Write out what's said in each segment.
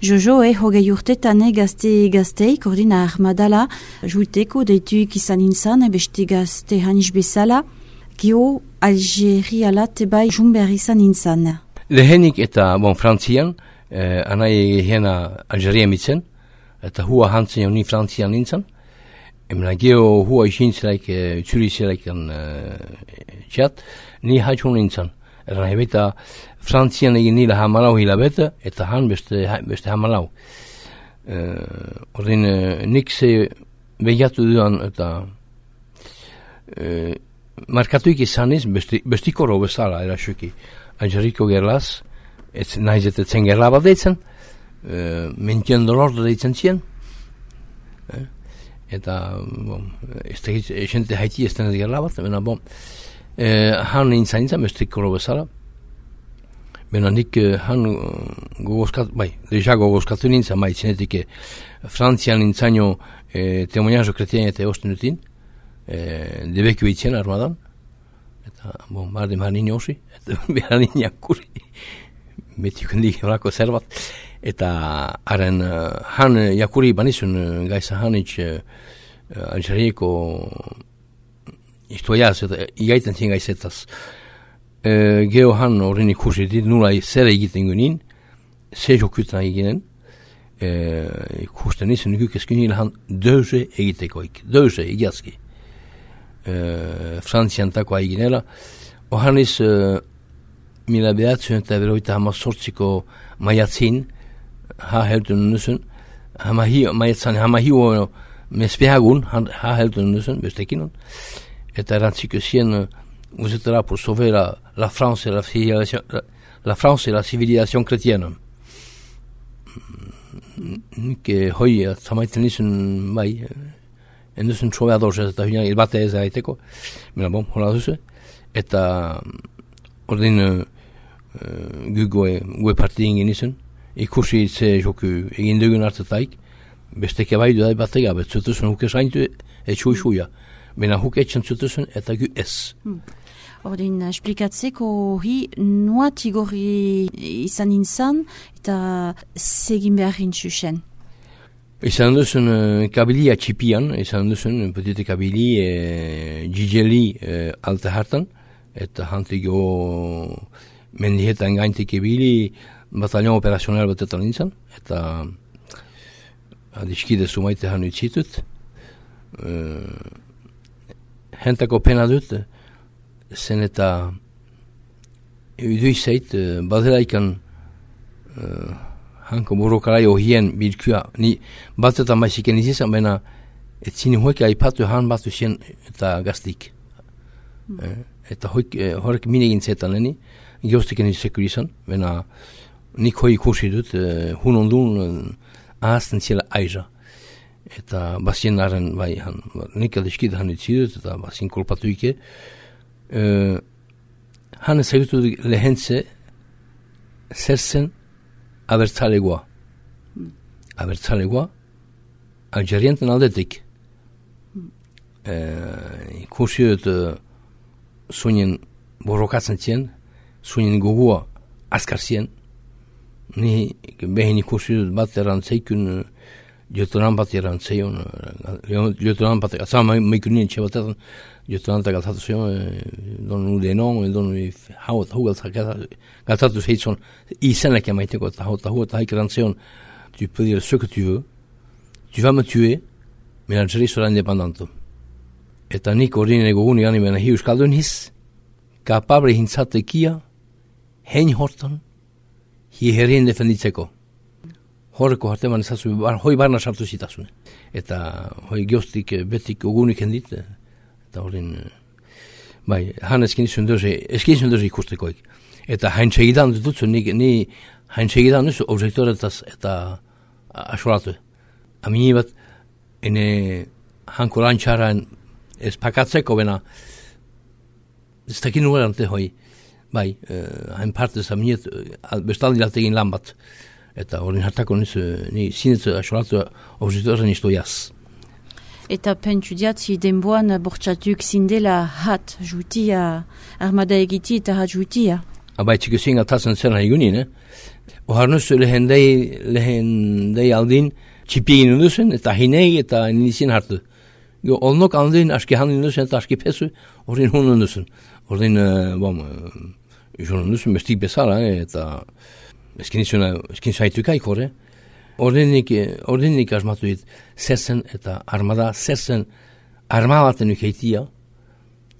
Jojo hogei urtetan gazteik ordina armadala juiteko deituik izan inzan beste gazte hanis bezala gio Algeriala tebai junber izan inzan. Lehenik eta Frantzian anai hena Algeria mitzen eta hua hantzen ni Frantzian nintzen. Emna geo hua isintzelaik txurizelaik txat ni haitxun nintzen. Erran hebeta Frantzian egin nila hamalau hilabete eta han beste hamalau. Ordin nik ze behiatu duan eta markatuik izaniz bestikoro bezala erasuki. Angeriko gerlaz, nahiz eta zen gerla bat deitzen, mentien dolor deitzen zien. Eta, esente haiti ez denez gerla bat, han nintzen bestikoro bezala. Bena nik han gogozkatu nintzen, itzenetik Frantzian nintzaino temoniazo kretien eta eosten dutin, debeku itzen armadan, eta bardem han nini osi, eta behar nini akuri, betiuk hendik horako zerbat, eta haren han jakuri banizun gaiza hanitz Algerieko istoiaz, eta igaiten zien gaizetaz. Geo han horren ikusi dit, nula zer egiten gunin, zer jokutan eginen, ikusten izan nukuk eskunil han deuze egitekoik, deuze egiazki. Frantzian takoa eginela, ohan iz mila behatzen eta beroita hama sortziko maiatzin, heltun nusen, hama hiu mespehagun, heltun nusen, bestekinon, eta erantziko zien vous êtes là pour sauver la France et la civilisation chrétienne. Que hoi tamaiten nizun bai, enduzen troveador eta hina bate ez aiteko. Mira hola duzu. Eta ordin gue partien nizun. Ikusi ze joku egin dugun hartetaik. Besteke bai du batega betzutuzun huke saintu etxuixuia. Bena huk etxen zutuzun eta gu ez. Ordin, esplikatzeko hori nuat igorri izan inzan eta segin behar intzusen. Izan duzun kabilia txipian, izan duzun petite kabili jijeli alte hartan, eta hantiko mendietan gaintik ebili batalion operazional batetan inzan, eta adiskide sumaite han utzitut. Hentako pena dut, zen eta uduizeit badelaikan hanko burokarai ohien bilkua ni batetan maiziken izizan bena etzini hoik aipatu han batu zien eta gaztik eta horrek minegin zetan leni geoztiken izsekurizan bena nik hoi ikusi dut hun ondun ahazten ziela aiza eta bazien arren bai nik adiskid han utzidut eta bazien kolpatu ike han ezagutu lehentze zer zen abertzalegoa. Abertzalegoa Algerienten aldetik. Ikusi dut zuinen borrokatzen zien, zuinen gogua askar zien. Ni behin ikusi dut bat erantzeikun jotoran bat erantzeion, jotoran bat, azama meikunien txebatetan, jotorantak galtatu zion, donu denon, donu hau galtatu zeitzon, izenak emaiteko, eta hau eta haik erantzeon, tu peux dire ce que tu veux, tu vas me tuer, mais l'Algérie sera indépendante. Eta nik ordinen egogun gani bena hi euskaldun hiz, kapable hintzatekia, hein hortan, hi herrien defenditzeko. Horreko harteman ezazu, hoi barna sartu zitazune. Eta hoi geostik betik ogunik hendit, eta horren, bai, han eskin dozi ikustekoik. Eta hain segidan dutzu, ni hain segidan duzu objektoretaz eta asolatu. Amini bat, ene hanko lantxaran ez pakatzeko bena, ez dakin nuerante hoi, bai, hain partez aminiet, bestaldi laltegin lan bat. Eta horren hartako ni zinetzu asolatu objektoren istoiaz. Eta pentsu diatzi denboan bortxatuk zindela hat jutia, armada egiti eta hat jutia. Abai txiko zinga tazen zena egunin, oharnuzu lehendei aldin txipigin unduzen, eta hinei eta nizien hartu. Olnok aldin aski handin unduzen, eta aski pesu, ordin hun unduzen. Ordin, jun unduzen bestik bezala, eta eskin zaitukaik hori. Ordinik asmatu dit, zerzen eta armada, zerzen armadaten ukeitia,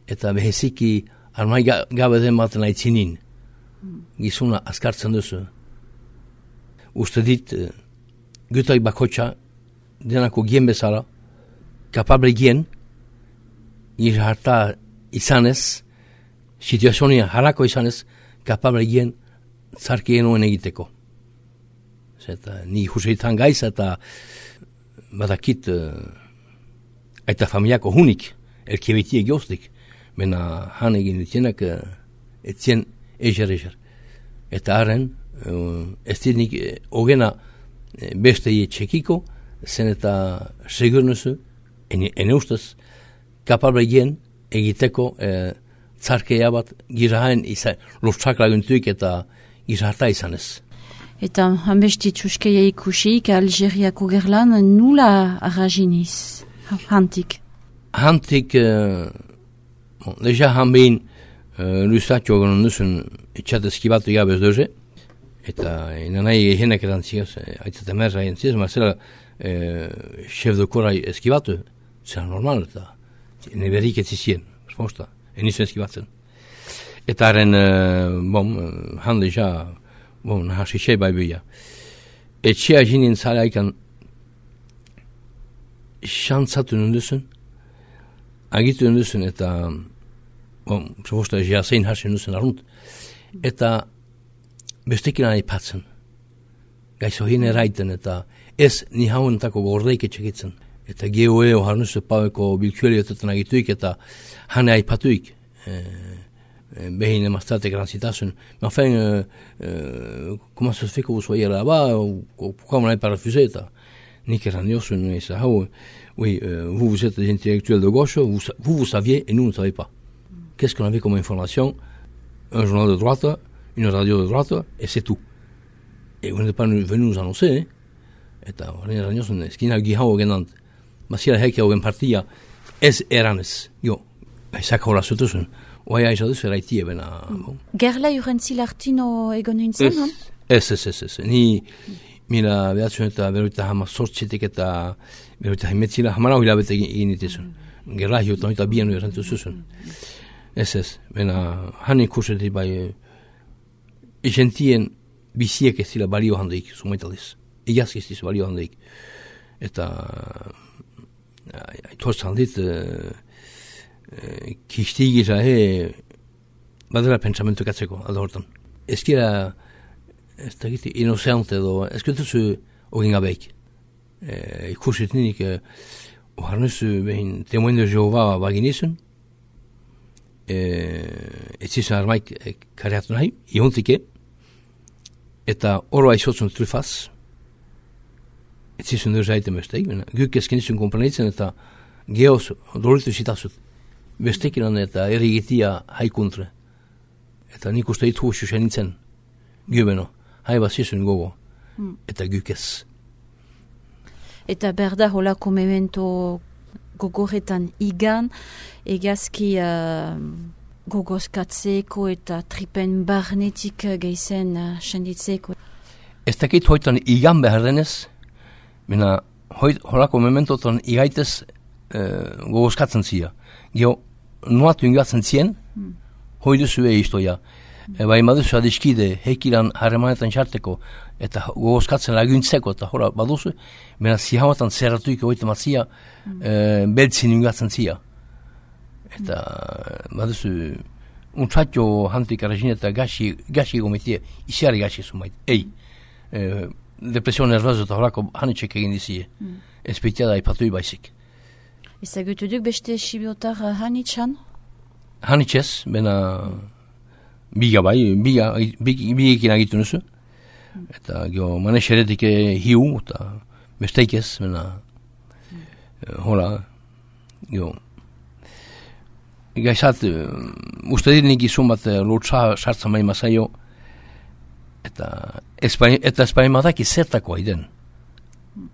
eta beheziki armai gabe den baten aitzinin. Gizuna askartzen duzu. Uste dit, gutai bakotxa, denako gien bezala, kapable gien, harta izanez, situazionia halako izanez, kapable gien, zarkien oen egiteko. Eta ni huseitan gaiz eta badakit eta familiako hunik elkebetie geostik, mena han egin ditienak etzien ezer. Eta haren, ez dinik ogena bestei txekiko, zen eta segurnuzu, ene ustez, kapable gien egiteko zarkea bat girahaen lortzak laguntuik eta giraharta izanez. Eta hanbesti txuskeia ikusik Algeriako gerlan nula arrajiniz, hantik? Hantik, deja hanbein lusatio gonon duzun etxat eskibatu gabez doze, eta nanai egenek erantziaz, aitzat emerra erantziaz, mazela chef de kora eskibatu, zera normal, eta neberik etzizien, resposta, enizu eskibatzen. Eta haren, han deja, nahasi xe bai bia. Etxea jinin zalaikan xantzatu nunduzen, agitu nunduzen, eta proposta jasein hasi nunduzen arrunt, eta bestekin aipatzen. Gaizo hine raiten, eta ez ni hauentako gordeik etxekitzen. Eta geoe oharnuzu paueko bilkueliotetan agituik, eta hane aipatuik, behin emaztate grancitasun. Mais enfin, comment ça se fait que vous soyez là-bas, pourquoi on n'avait pas refusé? Nik erandiosun, oui, vous êtes des intellectuels de gauche, vous saviez et nous ne savions pas. Qu'est-ce qu'on avait comme information? Un journal de droite, une radio de droite, et c'est tout. Et vous n'êtes pas venu nous annoncer, hein? Eta horren erandiosun, eskina gihau genant, masira heke hogen partia, ez eranez, ezak hola zutuzun. Oia izaduz eraitie bena. Gerla urentzi lartino egon nintzen, no? Ez. Ni mila behatzen eta beruita hama sortzitik eta beruita himetzila hamara hilabete egin ditizun. Gerla hiutan eta bian urentu zuzun. Ez. Bena hanin kursetik bai izentien biziek ez dira balio handeik, sumaitaliz. Igazki ez dira balio handeik. Eta aitortzen handit kistigi zahe badela pentsamentu katzeko alda hortan. Ezkira ez da giti inoceante edo ezkutuzu ogin gabeik. Ikursit ninik oharnuzu behin temoen de Jehova baginizun etzizun armaik kareatu nahi iontike eta oro aizotzun trufaz etzizun deuzaiten besteik guk ezkinizun komprenitzen eta geoz dolitu zitazut bestekinan eta errigitia haikuntre. Eta nik uste ditu xuxen nintzen, gubeno, haibazizun gogo, eta gukez. Eta berda holako memento gogoretan igan, egazki gogozkatzeko eta tripen barnetik geizen senditzeko. Ez dakit hoitan igan behar denez, bina holako mementotan igaitez gogozkatzen zia. Gio, nuatu ingatzen zien, hoi duzu iztoia. Bai maduzu adiskide, hekilan harremanetan txarteko, eta gogozkatzen laguntzeko, eta hora baduzu, bena zihamatan zerratuik hoita matzia, beltzin ingatzen zia. Eta baduzu, untratio hantik arrezin eta gaxi gomitie, isiari gaxi zumait. Depresio nervoso eta horako hanitxek egin dizie. Espitiada ipatui baizik. Ezagutu duk beste sibiotar hanitxan? Hanitxez, bena biga biekin agitu nuzu. Eta gio manexeretik hiu, eta besteikez, bena hola, gio gaizat, uste dit nik izun bat lortza sartzen bai mazaio Eta Espainian badaki zertako den.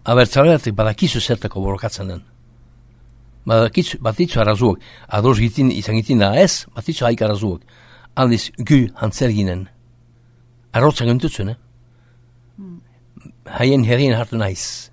Abertzaleatik badakizu zertako borrokatzen den. Batitzu arazuak, ados izan gitin da ez, batitzu haik arazuak. Aldiz, gu hantzer ginen. Arrotzak entutzen, Haien herrien hartu naiz.